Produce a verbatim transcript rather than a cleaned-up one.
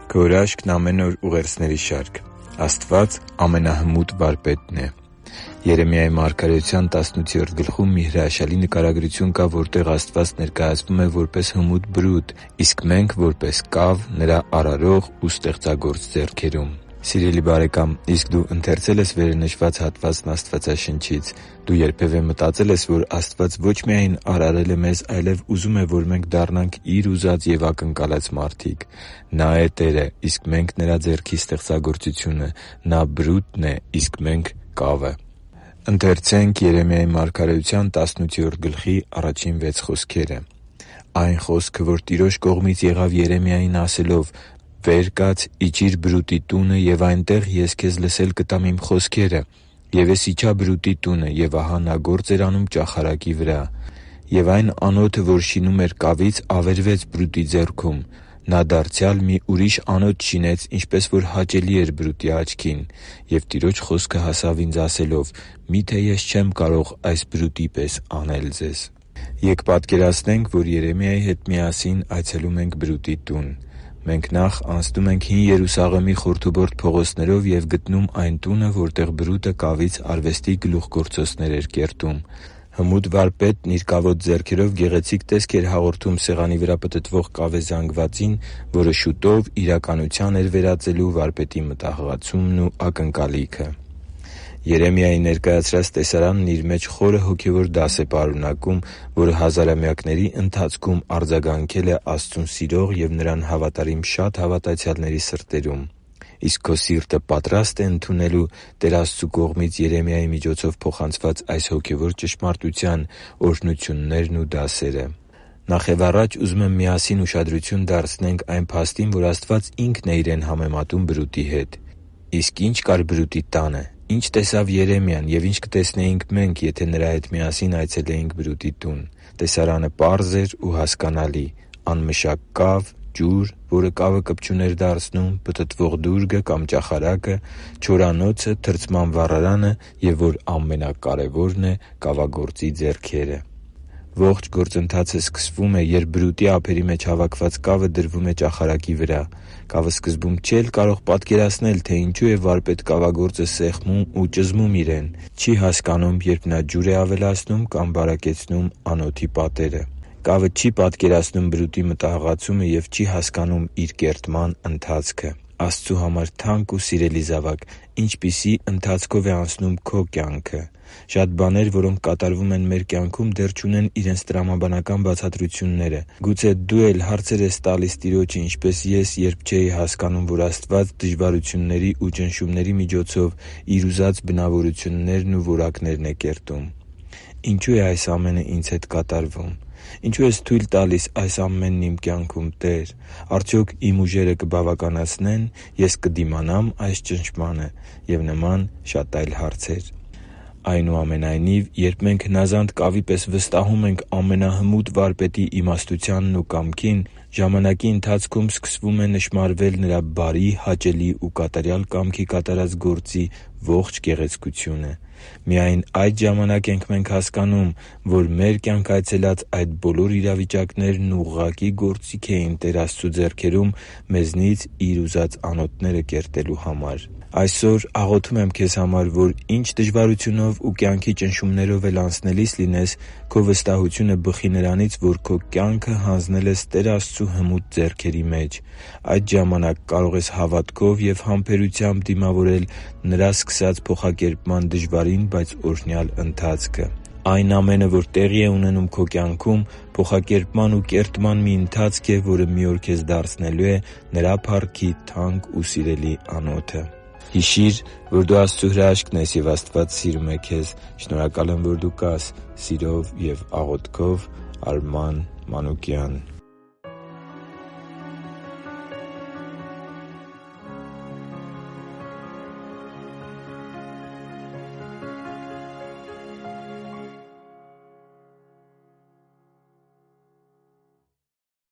Քո հրաշքն ամեն օր ուղերձների շարք։ Աստված ամենահմուտ Վարպետն է։ Երեմիայի մարգարեության տասնութերորդ գլխում մի հրաշալի նկարագրություն կա, որտեղ Աստված ներկայացվում է որպես հմուտ բրուտ, իսկ մենք՝ որպես կավ Նրա արարող ու ստեղծագործ ձեռքերում։ Սիրելի՛ բարեկամ, իսկ դու ընթերցե՞լ ես վերը նշված հատվածն Աստվածաշնչից։ Դու երբևէ մտածե՞լ ես, որ Աստված ոչ միայն արարել է մեզ, այլև ուզում է, որ մենք դառնանք Իր ուզած և ակնկալած մարդիկ։ Նա է Տերը, իսկ մենք Նրա ձեռքի ստեղծագործությունը։ Նա բրուտն է, իսկ մենք՝ կավը։ «Այն խոսքը, որ Տիրոջ կողմից եղավ Երեմիային ասելով. «Վեր կաց, իջի՛ր բրուտի տունը, և այնտեղ ես քեզ լսել կտամ Իմ խոսքերը։ Եվ ես իջա բրուտի տունը, և ահա նա գործ էր անում ճախարակի վրա։ Եվ այն անոթը, որ շինում էր կավից, ավերվեց բրուտի ձեռքում. նա դարձյալ մի ուրիշ անոթ շինեց, ինչպես որ հաճելի էր բրուտի աչքին։ Եվ Տիրոջ խոսքը հասավ ինձ ասելով. «Մի՞թե ես չեմ կարող այս բրուտի պես անել ձեզ»» Ե՛կ պատկերացնենք, որ Երեմիայի հետ միասին այցելում ենք բրուտի տուն։ Մենք նախ անցնում ենք Հին Երուսաղեմի խորթուբորտ փողոցներով և գտնում այն տունը, որտեղ բրուտը կավից արվեստի գլուխգործոցներ էր կերտում։ Հմուտ Վարպետն իր կավոտ ձեռքերով գեղեցիկ տեսք էր հաղորդում սեղանի վրա պտտվող կավե զանգվածին, որը շուտով իրականության էր վերածելու Վարպետի մտահղացումն ու ակնկալիքը։ Երեմիայի ներկայացրած տեսարանն իր մեջ խորը հոգևոր դաս է պարունակում, որը հազարամյակների ընթացքում արձագանքել է Աստծուն սիրող և Նրան հավատարիմ շատ հավատացյալների սրտերում։ Իսկ քո սիրտը պատրա՞ստ է ընդունելու Տեր Աստծու կողմից Երեմիայի միջոցով փոխանցված այս հոգևոր ճշմարտության օրհնություններն ու դասերը։ Նախևառաջ ուզում եմ միասին ուշադրություն դարձնենք այն փաստին, որ Աստված Ինքն է Իրեն համեմատում բրուտի հետ։ Իսկ ի՞նչ կար բրուտի տանը։ Ի՞նչ տեսավ Երեմիան և ի՞նչ կտեսնեինք մենք, եթե նրա հետ միասին այցելեինք բրուտի տուն։ Տեսարանը պարզ էր ու հասկանալի՝ անմշակ կավ, ջուր, որը կավը կպչուն էր դարձնում, պտտվող դուրգը կամ ճախարակը, չորանոցը, թրծման վառարանը և, որ ամենակարևորն է, կավագործի ձեռքերը։ Ողջ գործընթացը սկսվում է, երբ բրուտի ափերի մեջ հավաքված կավը դրվում է ճախարակի վրա։ Կավը սկզբում չէր կարող պատկերացնել, թե ինչու է վարպետ կավագործը սեղմում ու ճզմում իրեն։ Չի հասկանում, երբ նա ջուր է ավելացնում կամ բարակեցնում անոթի պատերը։ Կավը չի պատկերացնում բրուտի մտահղացումը և չի հասկանում իր կերտման ընթացքը։ Աստծու համար թանկ ու սիրելի՛ զավակ, ինչպիսի՞ ընթացքով է անցնում քո կյանքը։ Շատ բաներ, որոնք կատարվում են մեր կյանքում, դեռ չունեն իրենց տրամաբանական բացատրությունները։ Գուցե դու էլ հարցեր ես տալիս Տիրոջը, ինչպես ես, երբ չէի հասկանում, որ Աստված դժվարությունների ու ճնշումների միջոցով Իր ուզած բնավորություններն ու որակներն է կերտում։ Ինչո՞ւ է այս ամենը ինձ հետ կատարվում։ Ինչո՞ւ ես թույլ տալիս այս ամենն իմ կյանքում, Տե՛ր։ Արդյոք իմ ուժերը կբավականացնե՞ն։ Ես կդիմանա՞մ այս ճնշմանը։ Եվ նման շատ այլ հարցեր։ Այնուամենայնիվ, երբ մենք հնազանդ կավի պես վստահում ենք ամենահմուտ Վարպետի իմաստությանն ու կամքին, ժամանակի ընթացքում սկսվում է նշմարվել Նրա բարի, հաճելի ու կատարյալ կամքի կատարած գործի ողջ գեղեցկությունը։ Միայն այդ ժամանակ ենք մենք հասկանում, որ մեր կյանք այցելած այդ բոլոր իրավիճակներն ուղղակի գործիք էին Տեր Աստծու ձեռքերում մեզնից Իր ուզած անոթները կերտելու համար։ Այսօր աղոթում եմ քեզ համար, որ ինչ դժվարությունով ու կյանքի ճնշումներով էլ անցնելիս լինես, քո վստահությունը բխի նրանից, որ քո կյանքը հանձնել ես Տեր Աստծու հմուտ ձեռքերի մեջ։ Այդ ժամանակ կարող ես հավատքով և համբերությամբ դիմավորել Նրա սկսած փոխակերպման դժվարին, բայց օրհնյալ ընթացքը։ Այն ամենը, որ տեղի է ունենում քո կյանքում, փոխակերպման ու կերտման մի ընթացք է, որը մի օր քեզ դարձնելու է Նրա փառքի թանկ ու սիրելի անոթը։ Հիշի՛ր, որ դու Աստծո հրաշքն ես, և Աստված սիրում է քեզ։ Շնորհակալ եմ, որ դու կա՛ս։ Սիրով և աղոթքով, Արման Մանուկյան։